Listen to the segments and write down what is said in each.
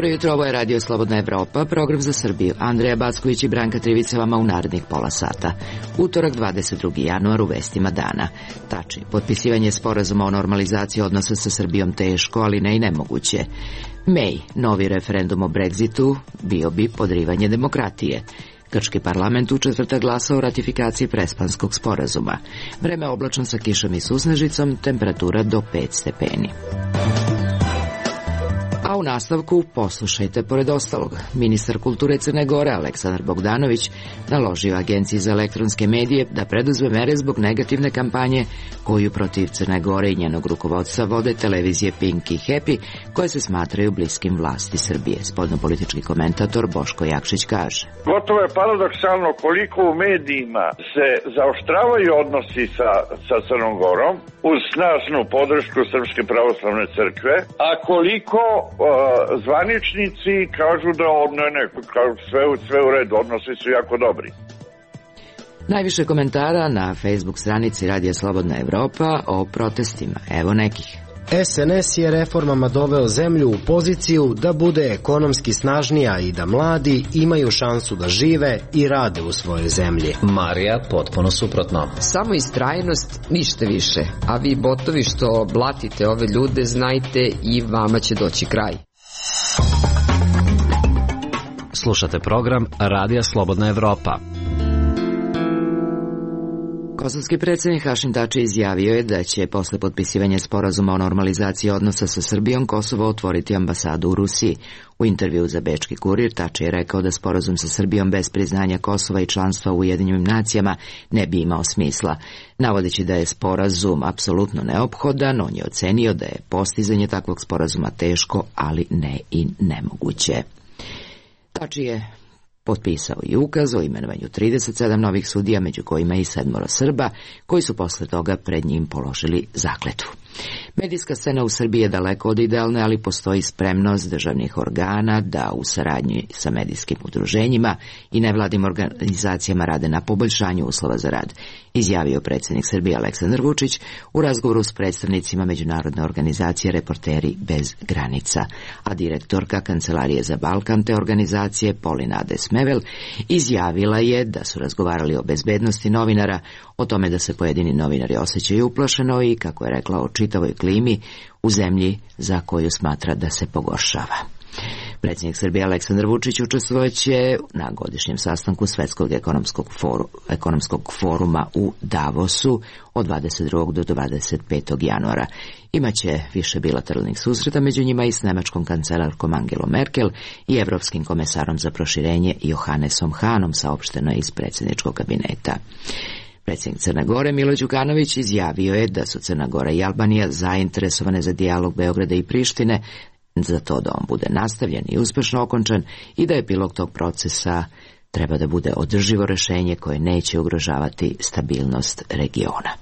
Dobro jutro, ovo je Radio Slobodna Evropa, program za Srbiju. Andreja Backović i Branka Trivica vama u narednih pola sata. Utorak 22. januar u vestima dana. Tači, potpisivanje sporazuma o normalizaciji odnosa sa Srbijom teško, ali ne i nemoguće. May, novi referendum o Brexitu, bio bi podrivanje demokratije. Grčki parlament u četvrtak glasao o ratifikaciji Prespanskog sporazuma. Vreme oblačno sa kišom i susnežicom, temperatura do 5 stepeni. A u nastavku poslušajte pored ostalog. Ministar kulture Crne Gore Aleksandar Bogdanović naložio Agenciji za elektronske medije da preduzme mere zbog negativne kampanje koju protiv Crne Gore i njenog rukovodstva vode televizije Pink i Happy, koje se smatraju bliskim vlasti Srbije. Spoljnopolitički komentator Boško Jakšić kaže: Gotovo je paradoksalno koliko u medijima se zaoštravaju odnosi sa Crnom Gorom uz snažnu podršku Srpske pravoslavne crkve, a koliko zvaničnici kažu da sve u redu, odnosi su jako dobri. Najviše komentara na Facebook stranici Radija Slobodna Evropa o protestima. Evo nekih. SNS je reformama doveo zemlju u poziciju da bude ekonomski snažnija i da mladi imaju šansu da žive i rade u svojoj zemlji. Marija, potpuno suprotno. Samo istrajnost, ništa više. A vi botovi što blatite ove ljude, znajte i vama će doći kraj. Slušate program Radija Slobodna Evropa. Kosovski predsjednik Hašim Tači izjavio je da će posle potpisivanja sporazuma o normalizaciji odnosa sa Srbijom Kosovo otvoriti ambasadu u Rusiji. U intervjuu za Bečki kurir Tači je rekao da sporazum sa Srbijom bez priznanja Kosova i članstva u Ujedinjenim nacijama ne bi imao smisla. Navodeći da je sporazum apsolutno neophodan, on je ocenio da je postizanje takvog sporazuma teško, ali ne i nemoguće. Tači je potpisao i ukaz o imenovanju 37 novih sudija, među kojima i 7 Srba, koji su posle toga pred njim položili zakletvu. Medijska scena u Srbiji je daleko od idealne, ali postoji spremnost državnih organa da u saradnji sa medijskim udruženjima i nevladnim organizacijama rade na poboljšanju uslova za rad, izjavio predsjednik Srbije Aleksandar Vučić u razgovoru s predstavnicima međunarodne organizacije Reporteri bez granica, a direktorka Kancelarije za Balkan te organizacije Polina Ades-Mevel izjavila je da su razgovarali o bezbednosti novinara, o tome da se pojedini novinari osjećaju uplašeno i, kako je rekla, o čitavoj klimi u zemlji za koju smatra da se pogoršava. Predsjednik Srbije Aleksandar Vučić učestvovaće na godišnjem sastanku Svetskog ekonomskog foruma u Davosu od 22. do 25. januara. Imaće više bilateralnih susreta, među njima i s nemačkom kancelarkom Angelom Merkel i evropskim komesarom za proširenje Johannesom Hanom, saopšteno iz predsjedničkog kabineta. Predsjednik Crne Gore Milo Đukanović izjavio je da su Crna Gora i Albanija zainteresovane za dijalog Beograda i Prištine, za to da on bude nastavljen i uspešno okončan i da epilog tog procesa treba da bude održivo rešenje koje neće ugrožavati stabilnost regiona.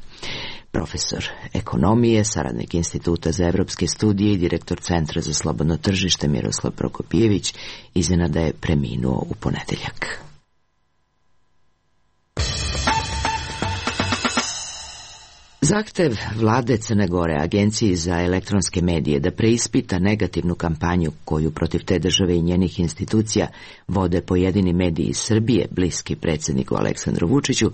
Profesor ekonomije, saradnik Instituta za evropske studije i direktor Centra za slobodno tržište Miroslav Prokopijević iznenada je preminuo u ponedeljak. Zahtev vlade Crne Gore Agenciji za elektronske medije da preispita negativnu kampanju koju protiv te države i njenih institucija vode pojedini mediji iz Srbije, bliski predsjedniku Aleksandru Vučiću,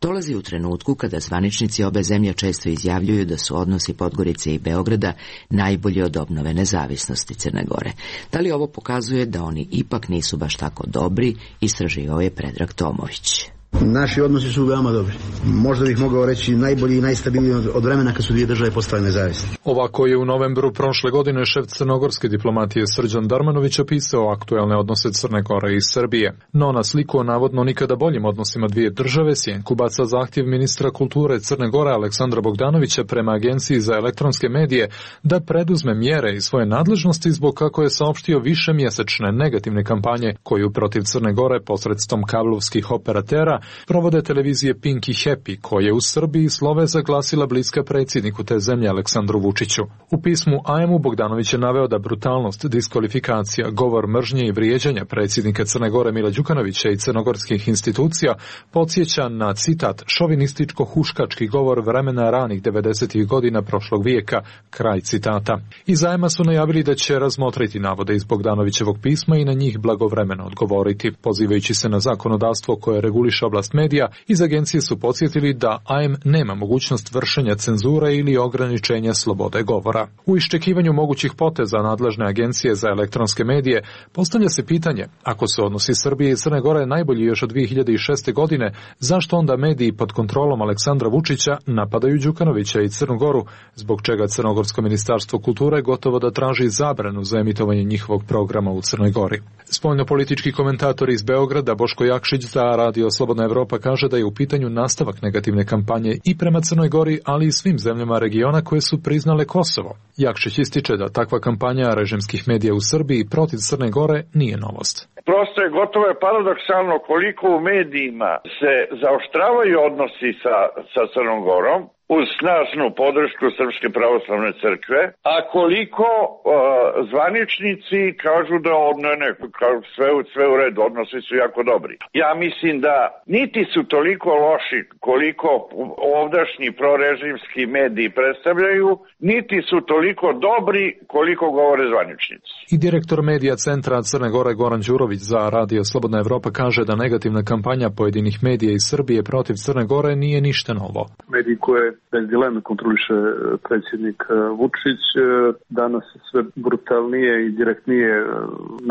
dolazi u trenutku kada zvaničnici obe zemlje često izjavljuju da su odnosi Podgorice i Beograda najbolji od obnove nezavisnosti Crne Gore. Da li ovo pokazuje da oni ipak nisu baš tako dobri, istraživao je Predrag Tomović. Naši odnosi su veoma dobri. Možda bih mogao reći najbolji i najstabilniji od vremena kad su dvije države postale nezavisne. Ovako je u novembru prošle godine šef crnogorske diplomatije Srđan Darmanović opisao aktuelne odnose Crne Gore i Srbije. No na sliku o navodno nikada boljim odnosima dvije države sjenku baca zahtjev ministra kulture Crne Gore Aleksandra Bogdanovića prema Agenciji za elektronske medije da preduzme mjere iz svoje nadležnosti zbog, kako je saopštio, višemjesečne negativne kampanje koju protiv Crne Gore posredstvom kablovskih operatera provode televizije Pink i Happy, koje u Srbiji slovesa glasila bliska predsjedniku te zemlje Aleksandru Vučiću. U pismu AM-u Bogdanović je naveo da brutalnost, diskvalifikacija, govor mržnje i vrijeđanja predsjednika Crne Gore Mila Đukanovića i crnogorskih institucija podsjeća na, citat, šovinističko-huškački govor vremena ranih 90. godina prošlog vijeka, kraj citata. Iz AM-a su najavili da će razmotriti navode iz Bogdanovićevog pisma i na njih blagovremeno odgovoriti. Pozivajući se na zakonodavstvo koje reguliše oblast medija, iz agencije su podsjetili da AM nema mogućnost vršenja cenzure ili ograničenja slobode govora. U iščekivanju mogućih poteza nadležne agencije za elektronske medije postavlja se pitanje, ako se odnosi Srbije i Crne Gore najbolji još od 2006. godine, zašto onda mediji pod kontrolom Aleksandra Vučića napadaju Đukanovića i Crnu Goru, zbog čega Crnogorsko ministarstvo kulture gotovo da traži zabranu za emitovanje njihovog programa u Crnoj Gori. Spoljnopolitički komentator iz Beograda Boško Jakšić za Radio Slobodna Evropa kaže da je u pitanju nastavak negativne kampanje i prema Crnoj Gori, ali i svim zemljama regiona koje su priznale Kosovo. Jakšić ističe da takva kampanja režimskih medija u Srbiji protiv Crne Gore nije novost. Prosto je gotovo je paradoksalno koliko u medijima se zaoštravaju odnosi sa Crnom Gorom uz snažnu podršku Srpske pravoslavne crkve, a koliko zvaničnici kažu da sve u redu, odnosi su jako dobri. Ja mislim da niti su toliko loši koliko ovdašnji prorežimski mediji predstavljaju, niti su toliko dobri koliko govore zvaničnici. I direktor medija centra Crne Gore Goran Đurović za Radio Slobodna Evropa kaže da negativna kampanja pojedinih medija iz Srbije protiv Crne Gore nije ništa novo. Mediji koje bez dileme kontroliše predsjednik Vučić danas sve brutalnije i direktnije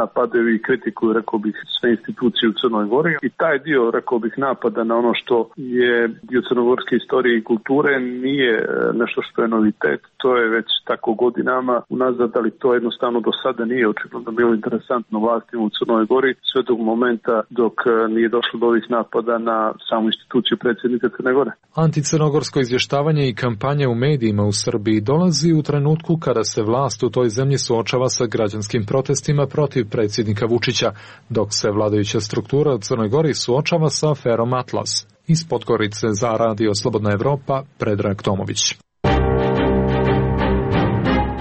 napadaju i kritikuju, rekao bih, sve institucije u Crnoj Gori. I taj dio, rekao bih, napada na ono što je dio crnogorske istorije i kulture nije nešto što je novitet. To je već tako godinama unazad, ali to jednostavno do sada nije očigledno bilo interesantno vlastima u Crnoj Gori sve do momenta dok nije došlo do ovih napada na samu instituciju predsjednika Crne Gore. Anticrnogorsko izvještavanje i kampanja u medijima u Srbiji dolazi u trenutku kada se vlast u toj zemlji suočava sa građanskim protestima protiv predsjednika Vučića, dok se vladajuća struktura u Crnoj Gori suočava sa aferom Atlas. Iz Podgorice za Radio Slobodna Evropa, Predrag Tomović.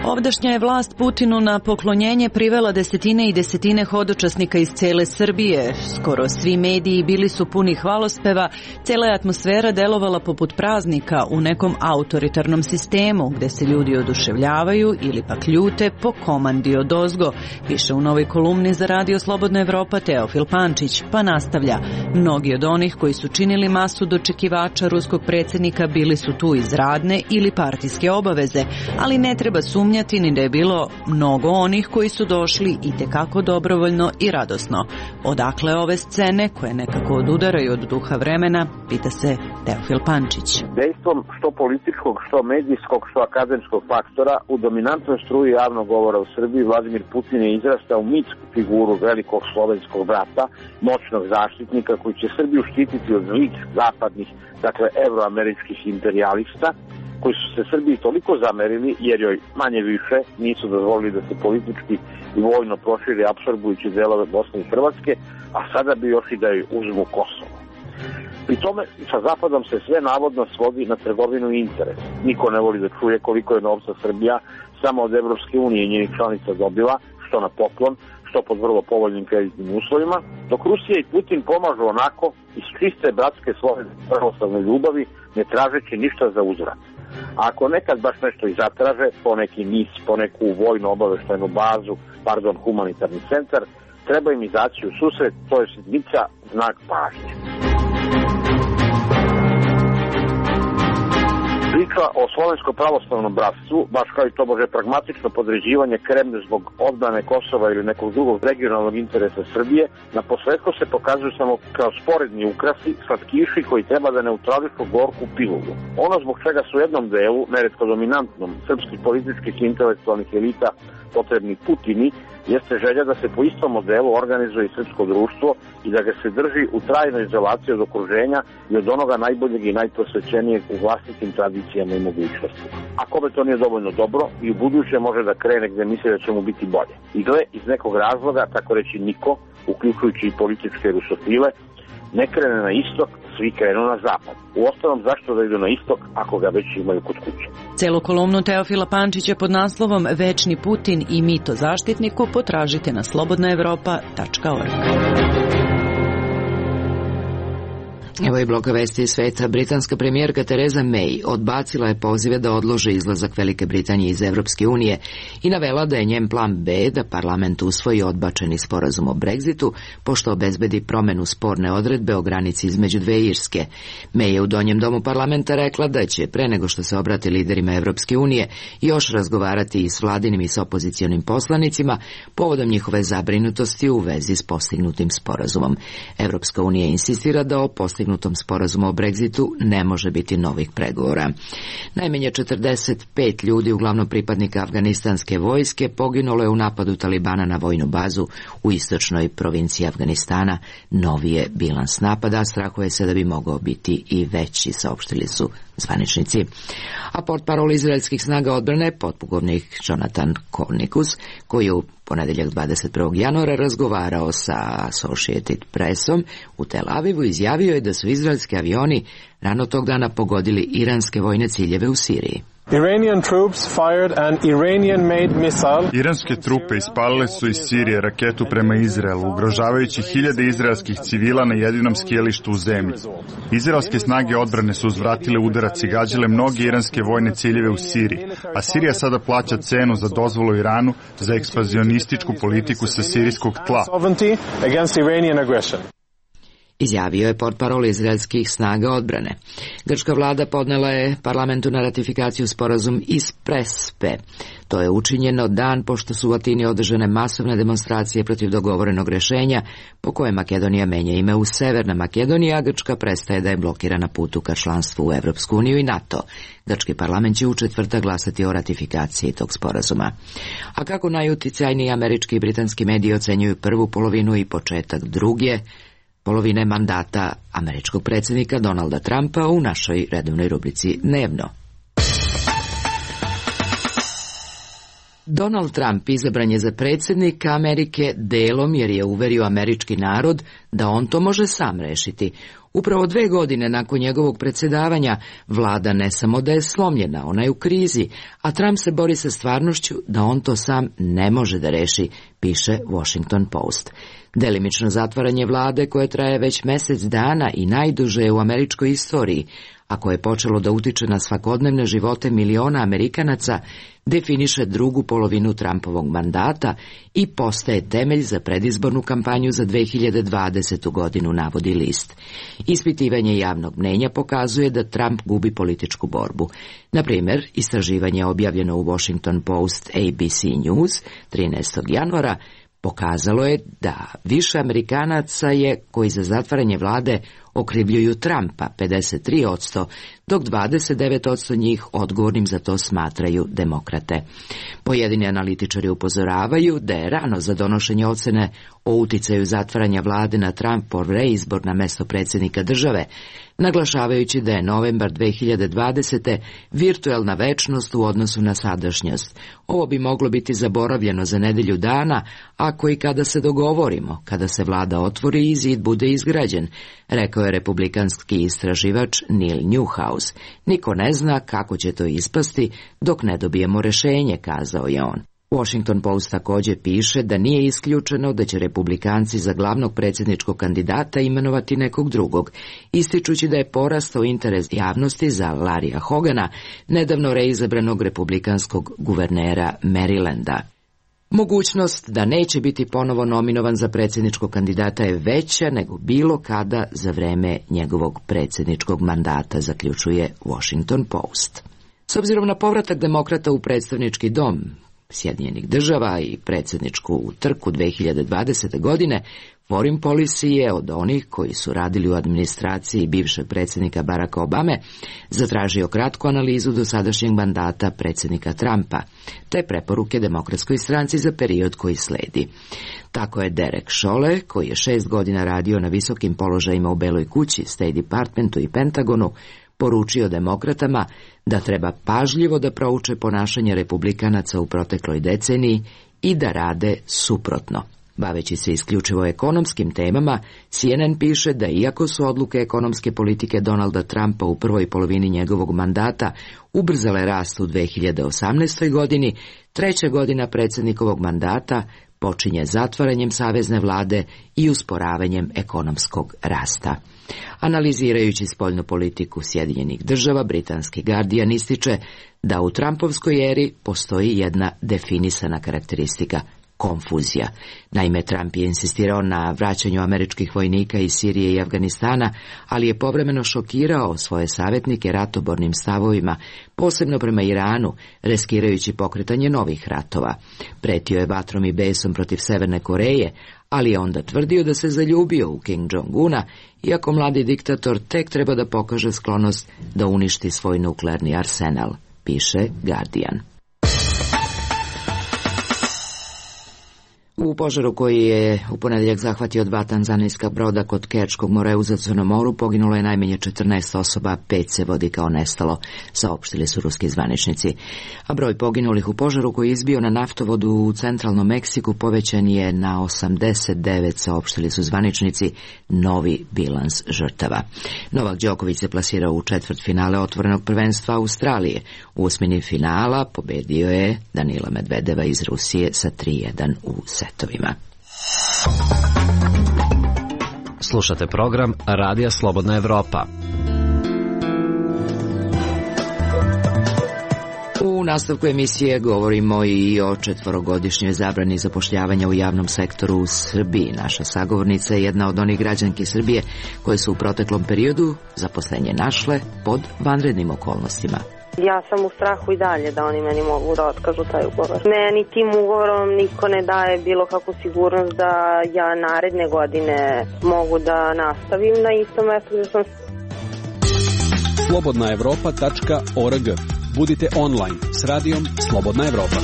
Ovdašnja je vlast Putinu na poklonjenje privela desetine i desetine hodočasnika iz cele Srbije. Skoro svi mediji bili su puni hvalospeva, cela je atmosfera delovala poput praznika u nekom autoritarnom sistemu, gde se ljudi oduševljavaju ili pak ljute po komandi odozgo, piše u novoj kolumni za Radio Slobodna Evropa Teofil Pančić, pa nastavlja. Mnogi od onih koji su činili masu dočekivača ruskog predsjednika bili su tu iz radne ili partijske obaveze, ali ne treba sumnjati ni da je bilo mnogo onih koji su došli i tekako dobrovoljno i radosno. Odakle ove scene koje nekako odudaraju od duha vremena, pita se Teofil Pančić. Dejstvom što političkog, što medijskog, što akademskog faktora u dominantnoj struji javnog govora u Srbiji Vladimir Putin je izrastao mitsku figuru velikog slovenskog brata, moćnog zaštitnika koji će Srbiju štititi od zlih zapadnih, dakle evroameričkih imperijalista, koji su se Srbiji toliko zamerili jer joj manje više nisu dozvolili da se politički i vojno proširi apsorbujući delove Bosne i Hrvatske, a sada bi još i da joj uzmu Kosovo. Pri tome sa Zapadom se sve navodno svodi na trgovinu i interes. Niko ne voli da čuje koliko je novca Srbija samo od Evropske unije i njenih članica dobila, što na poklon, što pod vrlo povoljnim kreditnim uslovima, dok Rusija i Putin pomažu onako iz čiste bratske svoje pravoslavne ljubavi, ne tražeći ništa za uzvrat. A ako nekad baš nešto i zatraže, po neki mis, po neku vojno-obaveštajnu bazu, humanitarni centar, treba im izaći u susret, to je sitnica, znak pažnje. Priča o slovenskom pravoslavnom bratstvu, baš kao i to može pragmatično podređivanje Kremlju zbog odbrane Kosova ili nekog drugog regionalnog interesa Srbije, na posledku se pokazuju samo kao sporedni ukrasi, slatkiši koji treba da neutrališu gorku pilulu. Ono zbog čega su u jednom delu, neretko dominantnom, srpskih političkih i intelektualnih elita potrebni Putini, jeste želja da se po istom modelu organizuje i srpsko društvo i da ga se drži u trajnoj izolaciji od okruženja i od onoga najboljeg i najprosvećenijeg u vlastitim tradicijama i mogućnostima. A kome to nije dovoljno dobro, i u buduće može da krene gde misli da će mu biti bolje. I gle, iz nekog razloga, tako reći niko, uključujući i političke rusofile, ne krene na istok svi krenu na zapad. Uostalom, zašto da idu na istok ako ga već imaju kod kuće? Celu kolumnu Teofila Pančića pod naslovom Večni Putin i mito zaštitniku potražite na slobodnaevropa.org. Evo je bloka vesti iz sveta. Britanska premijerka Theresa May odbacila je pozive da odlože izlazak Velike Britanije iz Evropske unije i navela da je njen plan B da parlament usvoji odbačeni sporazum o Brexitu, pošto obezbedi promenu sporne odredbe o granici između dve Irske. May je u donjem domu parlamenta rekla da će, pre nego što se obrati liderima Evropske unije, još razgovarati i s vladinim i s opozicionim poslanicima povodom njihove zabrinutosti u vezi s postignutim sporazumom. Evropska unija insistira da o postignutom sporazumu o Brexitu ne može biti novih pregovora. Najmanje 45 ljudi, uglavnom pripadnika afganistanske vojske, poginulo je u napadu Talibana na vojnu bazu u istočnoj provinciji Afganistana. Novi je bilans napada, strahuje se da bi mogao biti i veći, saopštili su zvaničnici. A portparol izraelskih snaga odbrane, potpukovnik Jonathan Kornikus, koji je u ponedeljak 21. januara razgovarao sa Associated Pressom u Tel Avivu, izjavio je da su izraelski avioni rano tog dana pogodili iranske vojne ciljeve u Siriji. Iranske trupe ispalile su iz Sirije raketu prema Izraelu, ugrožavajući hiljade izraelskih civila na jedinom skijalištu u zemlji. Izraelske snage odbrane su uzvratile udarac i gađale mnoge iranske vojne ciljeve u Siriji, a Sirija sada plaća cenu za dozvolu Iranu za ekspanzionističku politiku sa sirijskog tla. Izjavio je portparol izraelskih snaga odbrane. Grčka vlada podnela je parlamentu na ratifikaciju sporazum iz Prespe. To je učinjeno dan pošto su u Atini održane masovne demonstracije protiv dogovorenog rešenja po koje Makedonija menja ime u Severna Makedonija, a Grčka prestaje da je blokira na putu ka članstvu u Evropsku uniju i NATO. Grčki parlament će u četvrtak glasati o ratifikaciji tog sporazuma. A kako najuticajniji američki i britanski mediji ocenjuju prvu polovinu i početak druge polovine mandata američkog predsjednika Donalda Trumpa u našoj redovnoj rubrici Dnevno. Donald Trump izabran je za predsjednika Amerike delom jer je uverio američki narod da on to može sam rešiti. Upravo 2 godine nakon njegovog predsjedavanja vlada ne samo da je slomljena, ona je u krizi, a Trump se bori sa stvarnošću da on to sam ne može da reši, piše Washington Post. Delimično zatvaranje vlade koje traje već mjesec dana i najduže u američkoj istoriji, a koje je počelo da utiče na svakodnevne živote miliona Amerikanaca, definiše drugu polovinu Trumpovog mandata i postaje temelj za predizbornu kampanju za 2020. godinu, navodi list. Ispitivanje javnog mnenja pokazuje da Trump gubi političku borbu. Na primjer, istraživanje objavljeno u Washington Post ABC News 13. januara pokazalo je da više Amerikanaca je koji za zatvaranje vlade okrivljuju Trumpa, 53%, dok 29% njih odgovornim za to smatraju demokrate. Pojedini analitičari upozoravaju da je rano za donošenje ocene o uticaju zatvaranja vlade na Trumpov reizbor na mesto predsjednika države, naglašavajući da je novembar 2020. virtuelna večnost u odnosu na sadašnjost. Ovo bi moglo biti zaboravljeno za nedelju dana, ako i kada se dogovorimo, kada se vlada otvori i zid bude izgrađen, rekao je republikanski istraživač Neil Newhouse. Niko ne zna kako će to ispasti dok ne dobijemo rešenje, kazao je on. Washington Post također piše da nije isključeno da će republikanci za glavnog predsjedničkog kandidata imenovati nekog drugog, ističući da je porastao interes javnosti za Larrya Hogana, nedavno reizabranog republikanskog guvernera Marylanda. Mogućnost da neće biti ponovo nominovan za predsjedničkog kandidata je veća nego bilo kada za vreme njegovog predsjedničkog mandata, zaključuje Washington Post. S obzirom na povratak demokrata u predstavnički dom Sjedinjenih država i predsjedničku trku 2020. godine, Foreign Policy je od onih koji su radili u administraciji bivšeg predsjednika Baracka Obame zatražio kratku analizu dosadašnjeg mandata predsjednika Trumpa, te preporuke Demokratskoj stranci za period koji sledi. Tako je Derek Chollet, koji je 6 godina radio na visokim položajima u Beloj kući, State Departmentu i Pentagonu, poručio demokratama da treba pažljivo da prouče ponašanje republikanaca u protekloj deceniji i da rade suprotno. Baveći se isključivo ekonomskim temama, CNN piše da iako su odluke ekonomske politike Donalda Trumpa u prvoj polovini njegovog mandata ubrzale rast u 2018. godini, treća godina predsjednikovog mandata počinje zatvaranjem savezne vlade i usporavanjem ekonomskog rasta. Analizirajući spoljnu politiku Sjedinjenih država, britanski Guardian ističe da u Trumpovskoj eri postoji jedna definisana karakteristika – konfuzija. Naime, Trump je insistirao na vraćanju američkih vojnika iz Sirije i Afganistana, ali je povremeno šokirao svoje savjetnike ratobornim stavovima, posebno prema Iranu, riskirajući pokretanje novih ratova. Pretio je vatrom i besom protiv Severne Koreje, ali je onda tvrdio da se zaljubio u Kim Jong-una, iako mladi diktator tek treba da pokaže sklonost da uništi svoj nuklearni arsenal, piše Guardian. U požaru koji je u ponedjeljak zahvatio dva tanzanijska broda kod Kerčkog mora u Crnom moru poginulo je najmanje 14 osoba, 5 se vodi kao nestalo, saopštili su ruski zvaničnici. A broj poginulih u požaru koji je izbio na naftovodu u centralnom Meksiku povećan je na 89, saopštili su zvaničnici, novi bilans žrtava. Novak Đoković se plasirao u četvrtfinale otvorenog prvenstva Australije. U osmini finala pobedio je Danila Medvedeva iz Rusije sa 3:1 u setovima. Slušate program Radija Slobodna Evropa. U nastavku emisije govorimo i o 4-godišnjoj zabrani zapošljavanja u javnom sektoru u Srbiji. Naša sagovornica je jedna od onih građanki Srbije koje su u proteklom periodu zaposlenje našle pod vanrednim okolnostima. Ja sam u strahu i dalje da oni meni mogu da otkažu taj ugovor. Meni tim ugovorom niko ne daje bilo kakvu sigurnost da ja naredne godine mogu da nastavim na istom mestu gde sam. slobodnaevropa.org. Budite online s radijom Slobodna Evropa.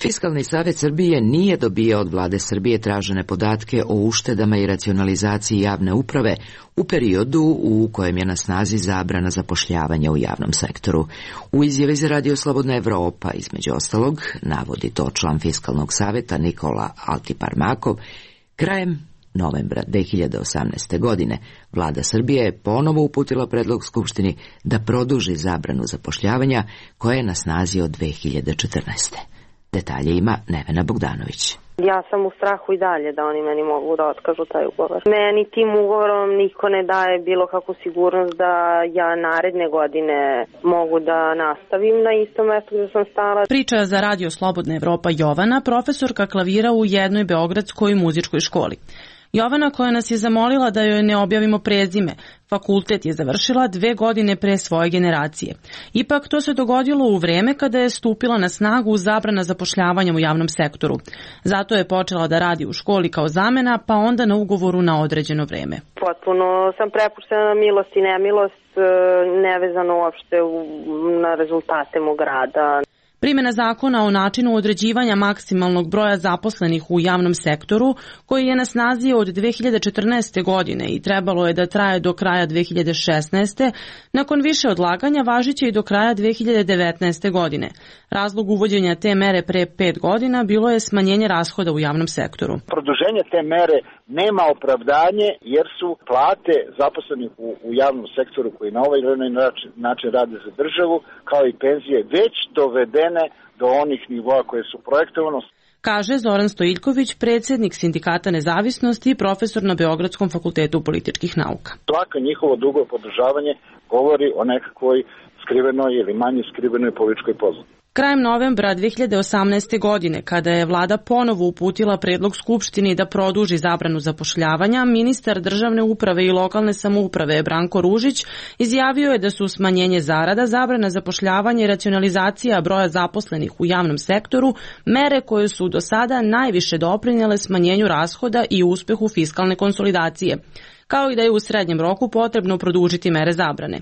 Fiskalni savjet Srbije nije dobio od vlade Srbije tražene podatke o uštedama i racionalizaciji javne uprave u periodu u kojem je na snazi zabrana zapošljavanja u javnom sektoru. U izjavi za Radio Slobodna Evropa, između ostalog, navodi to član Fiskalnog savjeta Nikola Altiparmakov, krajem novembra 2018. godine vlada Srbije je ponovo uputila predlog Skupštini da produži zabranu zapošljavanja koja je na snazi od 2014. Detalje ima Nevena Bogdanović. Ja sam u strahu i dalje da oni meni mogu da otkažu taj ugovor. Meni tim ugovorom niko ne daje bilo kakvu sigurnost da ja naredne godine mogu da nastavim na istom mestu gde sam stala. Priča za Radio Slobodna Evropa Jovana, profesorka klavira u jednoj beogradskoj muzičkoj školi. Jovana, koja nas je zamolila da joj ne objavimo prezime, fakultet je završila 2 godine pre svoje generacije. Ipak to se dogodilo u vreme kada je stupila na snagu zabrana zapošljavanja u javnom sektoru. Zato je počela da radi u školi kao zamena, pa onda na ugovoru na određeno vreme. Potpuno sam prepuštena na milost i nemilost, nevezano uopšte na rezultate mog rada. Primjena zakona o načinu određivanja maksimalnog broja zaposlenih u javnom sektoru, koji je na snazi od 2014. godine i trebalo je da traje do kraja 2016. nakon više odlaganja važiće i do kraja 2019. godine. Razlog uvođenja te mere pre 5 godina bilo je smanjenje rashoda u javnom sektoru. Produženje te mere nema opravdanje jer su plate zaposlenih u javnom sektoru koji na ovaj način rade za državu, kao i penzije, već dovedene do onih nivoa koje su projektovano. Kaže Zoran Stojiljković, predsjednik Sindikata Nezavisnosti i profesor na Beogradskom fakultetu političkih nauka. Svako njihovo dugo podržavanje govori o nekakvoj skrivenoj ili manje skrivenoj političkoj pozadini. Krajem novembra 2018. godine, kada je vlada ponovo uputila predlog Skupštini da produži zabranu zapošljavanja, ministar državne uprave i lokalne samouprave Branko Ružić izjavio je da su smanjenje zarada, zabrana zapošljavanja i racionalizacija broja zaposlenih u javnom sektoru mere koje su do sada najviše doprinjele smanjenju rashoda i uspehu fiskalne konsolidacije, kao i da je u srednjem roku potrebno produžiti mere zabrane.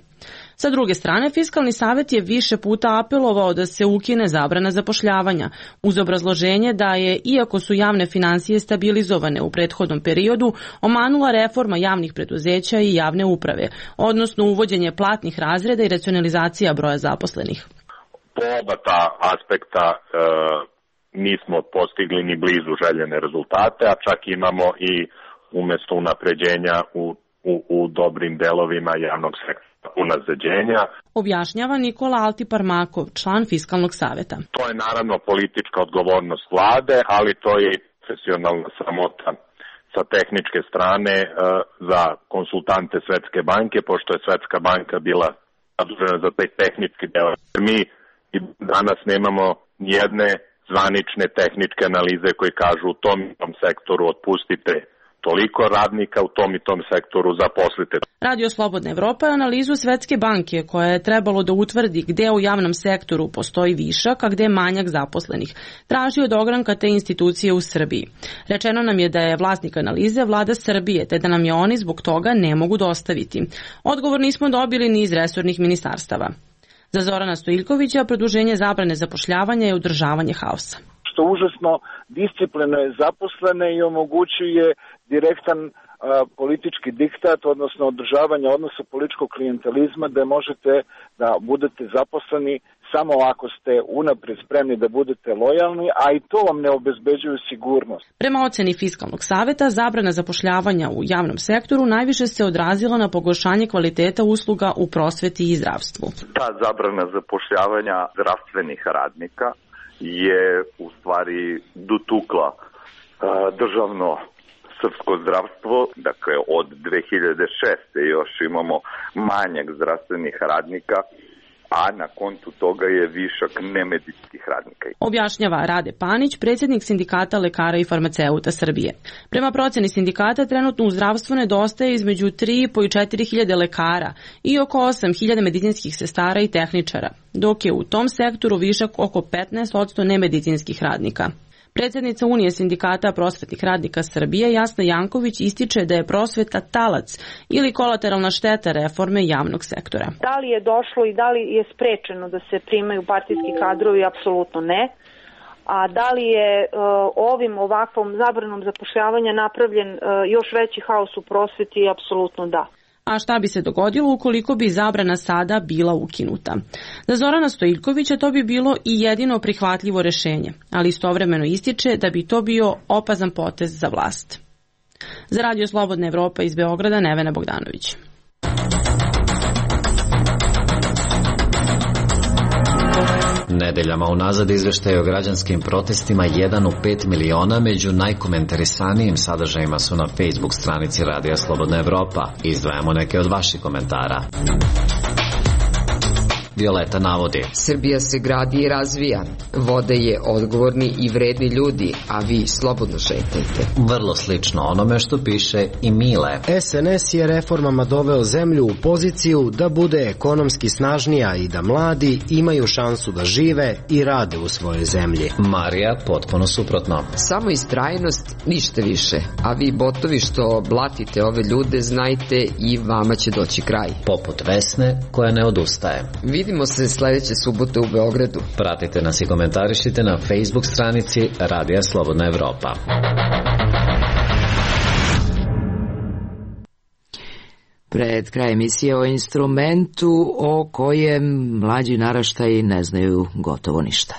Sa druge strane, Fiskalni savjet je više puta apelovao da se ukine zabrana zapošljavanja, uz obrazloženje da je, iako su javne finansije stabilizovane u prethodnom periodu, omanula reforma javnih preduzeća i javne uprave, odnosno uvođenje platnih razreda i racionalizacija broja zaposlenih. Po oba ta aspekta nismo postigli ni blizu željene rezultate, a čak imamo i umesto unapređenja u dobrim delovima javnog sektora unazađenja. Objašnjava Nikola Altiparmakov, član Fiskalnog saveta. To je naravno politička odgovornost vlade, ali to je i profesionalna sramota sa tehničke strane za konsultante Svetske banke, pošto je Svetska banka bila zadužena za taj tehnički deo. Mi i danas nemamo nijedne zvanične tehničke analize koji kažu u tom i tom sektoru otpustite toliko radnika, u tom i tom sektoru zaposlite. Radio Slobodna Evropa je analizu Svetske banke koja je trebalo da utvrdi gde u javnom sektoru postoji višak, a gde je manjak zaposlenih. Traži od ogranka te institucije u Srbiji. Rečeno nam je da je vlasnik analize vlada Srbije, te da nam je oni zbog toga ne mogu dostaviti. Odgovor nismo dobili ni iz resornih ministarstava. Za Zorana Stojiljkovića produženje zabrane zapošljavanja je održavanje haosa. Što užasno disciplinuje zaposlene i omogućuje direktan politički diktat, odnosno održavanje odnosa političkog klijentelizma, da možete da budete zaposleni samo ako ste unaprijed spremni da budete lojalni, a i to vam ne obezbeđuju sigurnost. Prema oceni Fiskalnog saveta, zabrana zapošljavanja u javnom sektoru najviše se odrazila na pogoršanje kvaliteta usluga u prosveti i zdravstvu. Ta zabrana zapošljavanja zdravstvenih radnika je u stvari dotukla državno srpsko zdravstvo, dakle od 2006. još imamo manjak zdravstvenih radnika, a na kontu toga je višak nemedicinskih radnika. Objašnjava Rade Panić, predsjednik Sindikata lekara i farmaceuta Srbije. Prema proceni sindikata, trenutno u zdravstvu nedostaje između 3,5 i 4.000 lekara i oko 8.000 medicinskih sestara i tehničara, dok je u tom sektoru višak oko 15% nemedicinskih radnika. Predsjednica Unije sindikata prosvetnih radnika Srbije Jasna Janković ističe da je prosveta talac ili kolateralna šteta reforme javnog sektora. Da li je došlo i da li je sprečeno da se primaju partijski kadrovi? Apsolutno ne. A da li je ovakvom zabranom zapošljavanja napravljen još veći haos u prosveti? Apsolutno da. A šta bi se dogodilo ukoliko bi zabrana sada bila ukinuta? Za Zorana Stojiljkovića to bi bilo i jedino prihvatljivo rešenje, ali istovremeno ističe da bi to bio opazan potez za vlast. Za Radio Slobodna Evropa iz Beograda, Nevena Bogdanović. Nedeljama unazad izveštaj o građanskim protestima 1 u 5 miliona među najkomentarisanijim sadržajima su na Facebook stranici Radija Slobodna Evropa. Izdvajamo neke od vaših komentara. Violeta navodi: Srbija se gradi i razvija, vode je odgovorni i vredni ljudi, a vi slobodno šetajte. Vrlo slično onome što piše i Mile. SNS je reformama doveo zemlju u poziciju da bude ekonomski snažnija i da mladi imaju šansu da žive i rade u svojoj zemlji. Marija potpuno suprotno. Samo istrajnost, ništa više, a vi botovi što blatite ove ljude, znajte i vama će doći kraj. Poput Vesne koja ne odustaje. Vidimo se sledeće subote u Beogradu. Pratite nas i komentarišite na Facebook stranici Radija Slobodna Evropa. Pred kraj emisije o instrumentu o kojem mlađi naraštaji ne znaju gotovo ništa.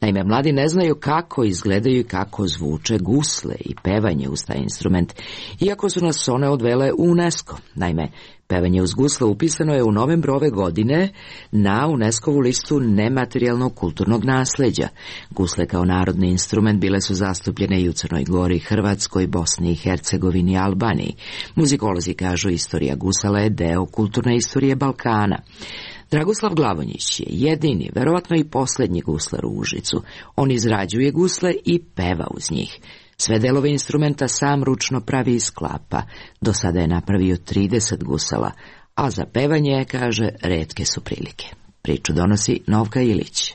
Naime, mladi ne znaju kako izgledaju i kako zvuče gusle i pevanje uz taj instrument, iako su nas one odvele u UNESCO. Naime, pevanje uz gusle upisano je u novembru ove godine na UNESCO-vu listu nematerijalnog kulturnog nasleđa. Gusle kao narodni instrument bile su zastupljene i u Crnoj Gori, Hrvatskoj, Bosni i Hercegovini i Albaniji. Muzikolozi kažu istorija gusala je deo kulturne istorije Balkana. Dragoslav Glavonjić je jedini, verovatno i posljednji guslar u Užicu. On izrađuje gusle i peva uz njih. Sve delove instrumenta sam ručno pravi i sklapa. Do sada je napravio 30 gusala, a za pevanje, kaže, retke su prilike. Priču donosi Novka Ilić.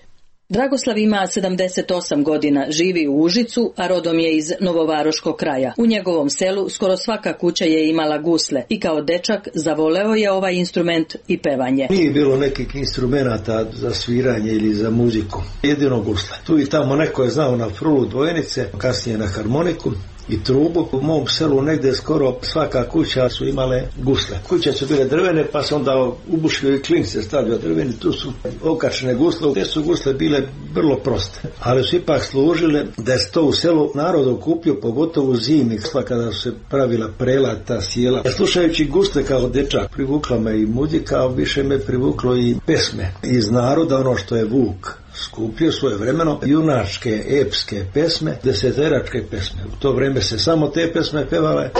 Dragoslav ima 78 godina, živi u Užicu, a rodom je iz Novovaroškog kraja. U njegovom selu skoro svaka kuća je imala gusle i kao dečak zavoleo je ovaj instrument i pevanje. Nije bilo nekih instrumenta za sviranje ili za muziku, jedino gusle. Tu i tamo neko je znao na frulu dvojenice, kasnije na harmoniku i trubu. U mom selu negde skoro svaka kuća su imale gusle. Kuće su bile drvene, pa se onda ubušio i klin se stavio drveni, tu su okačene gusle. Te su gusle bile vrlo proste, ali su ipak služile da je to u selu narod okupio, pogotovo u zimi, kada su se pravila prelata, sjela. Slušajući gusle kao dečak, privukla me i muzika, više me privuklo i pesme iz naroda, ono što je Vuk skupio svojevremeno, junačke, epske pesme, deseteračke pesme. U to vreme se samo te pesme pevale.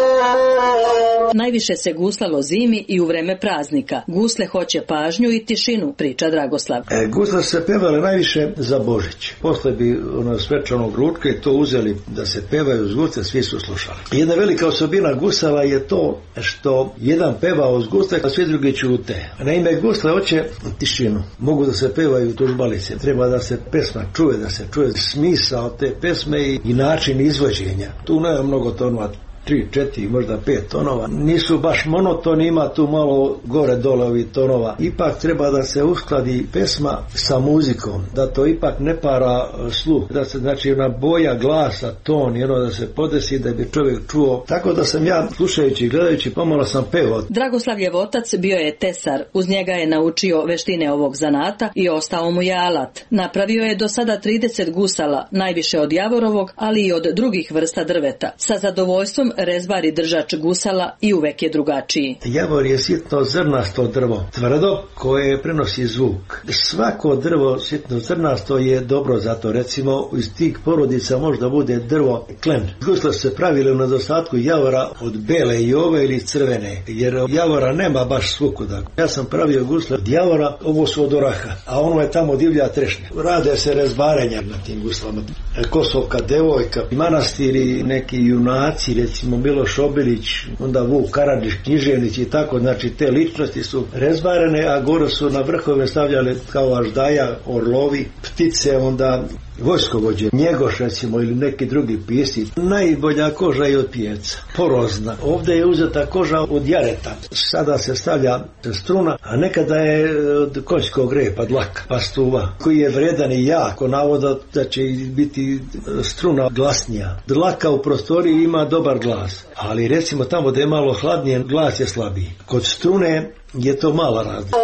Najviše se guslalo zimi i u vreme praznika. Gusle hoće pažnju i tišinu, priča Dragoslav. Gusle se pevale najviše za Božić. Posle bi svečanog ručka i to uzeli da se pevaju uz gusle, svi su slušali. Jedna velika osobina gusala je to što jedan peva uz gusle, a svi drugi ćute. Naime, gusle hoće tišinu. Mogu da se pevaju tužbalice. Treba da se pesma čuje, da se čuje smisao te pesme i način izvođenja. Tu nema mnogo tonova. 3, 4, možda 5 tonova. Nisu baš monotoni, ima tu malo gore dole ovih tonova. Ipak treba da se uskladi pesma sa muzikom, da to ipak ne para sluh, da se znači ona boja glasa, ton i ono da se podesi da bi čovjek čuo. Tako da sam ja slušajući i gledajući pomalo sam pevao. Dragoslavljev otac bio je tesar, uz njega je naučio veštine ovog zanata i ostao mu je alat. Napravio je do sada 30 gusala, najviše od javorovog, ali i od drugih vrsta drveta. Sa zadovoljstvom rezbari držač gusala i uvek je drugačiji. Javor je sitno zrnasto drvo, tvrdo, koje prenosi zvuk. Svako drvo sitno zrnasto je dobro, zato recimo iz tih porodica možda bude drvo klen. Gusle se pravile u nedostatku javora od bele jove ili crvene, jer javora nema baš svukuda. Ja sam pravio gusle od javora, ovo su od oraha, a ono je tamo divlja trešnja. Rade se rezbarenja na tim guslama. Kosovka devojka, manastiri, neki junaci, recimo Miloš Obilić, onda Vuk Karadžić, književnici i tako, znači te ličnosti su rezbarene, a gore su na vrhove stavljale kao aždaja, orlovi, ptice, onda vojskovođe, Njegoš recimo ili neki drugi pisci. Najbolja koža je od pijeca, porozna. Ovdje je uzeta koža od jareta. Sada se stavlja struna, a nekada je od konjskog repa, dlaka, pastuva, koji je vredan i jako navoda da će biti struna glasnija. Dlaka u prostoriji ima dobar glas, ali recimo tamo da je malo hladnije, glas je slabiji. Kod strune je to mala razlika.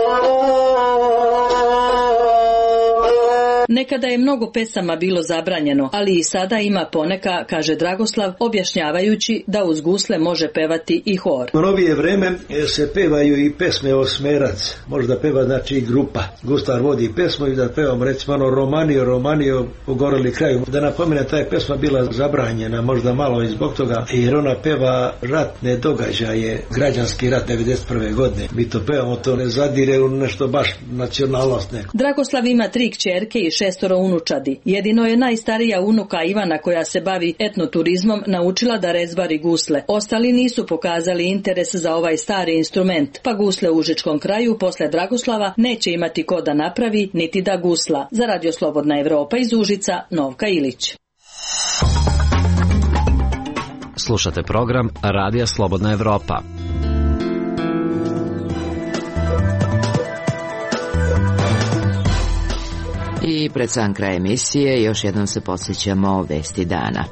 Nekada je mnogo pesama bilo zabranjeno, ali i sada ima poneka, kaže Dragoslav, objašnjavajući da uz gusle može pevati i hor. U novije vreme se pevaju i pesme Osmerac, možda peva znači i grupa. Guslar vodi pesmu i da pevam recimo ono Romanio, pogoreli kraju. Da napomene, ta je pesma bila zabranjena, možda malo i zbog toga, jer ona peva ratne događaje, građanski rat 1991. godine. Mi to pevamo, to ne zadire u nešto baš nacionalnost neko. Dragoslav ima 3 kćerke i 6 unučadi. Jedino je najstarija unuka Ivana, koja se bavi etnoturizmom, naučila da rezbari gusle. Ostali nisu pokazali interes za ovaj stari instrument, pa gusle u Užičkom kraju posle Dragoslava neće imati ko da napravi, niti da gusla. Za Radio Slobodna Evropa iz Užica, Novka Ilić. Slušate program Radija Slobodna Evropa. I pred sam kraj emisije još jednom se podsjećamo vesti dana.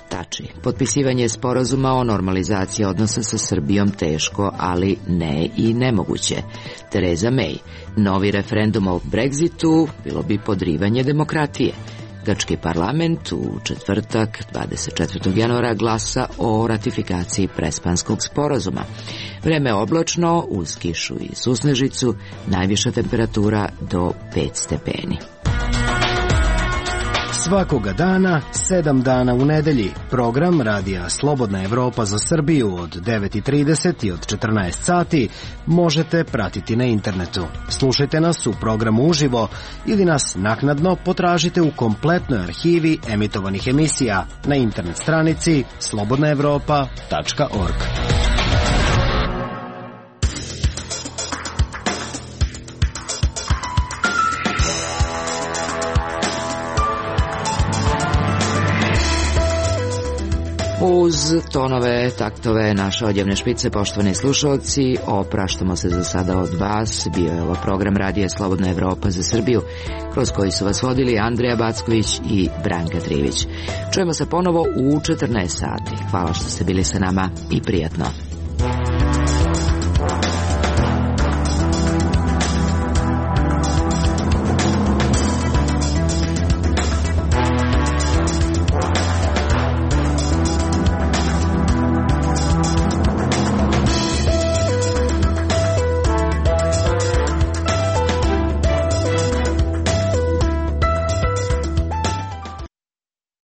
Tači, potpisivanje sporazuma o normalizaciji odnosa sa Srbijom teško, ali ne i nemoguće. Tereza May, novi referendum o Brexitu bilo bi podrivanje demokratije. Grčki parlament u četvrtak 24. januara glasa o ratifikaciji Prespanskog sporazuma. Vreme oblačno, uz kišu i susnežicu, najviša temperatura do 5 stepeni. Svakoga dana, 7 dana u nedelji. Program Radija Slobodna Evropa za Srbiju od 9:30 i od 14 sati možete pratiti na internetu. Slušajte nas u programu uživo ili nas naknadno potražite u kompletnoj arhivi emitovanih emisija na internet stranici slobodnaevropa.org. Uz tonove, taktove naše odjevne špice, poštovani slušalci, opraštamo se za sada od vas. Bio je ovo program Radija Slobodna Evropa za Srbiju, kroz koji su vas vodili Andreja Backović i Branka Trivić. Čujemo se ponovo u 14 sati. Hvala što ste bili sa nama i prijatno.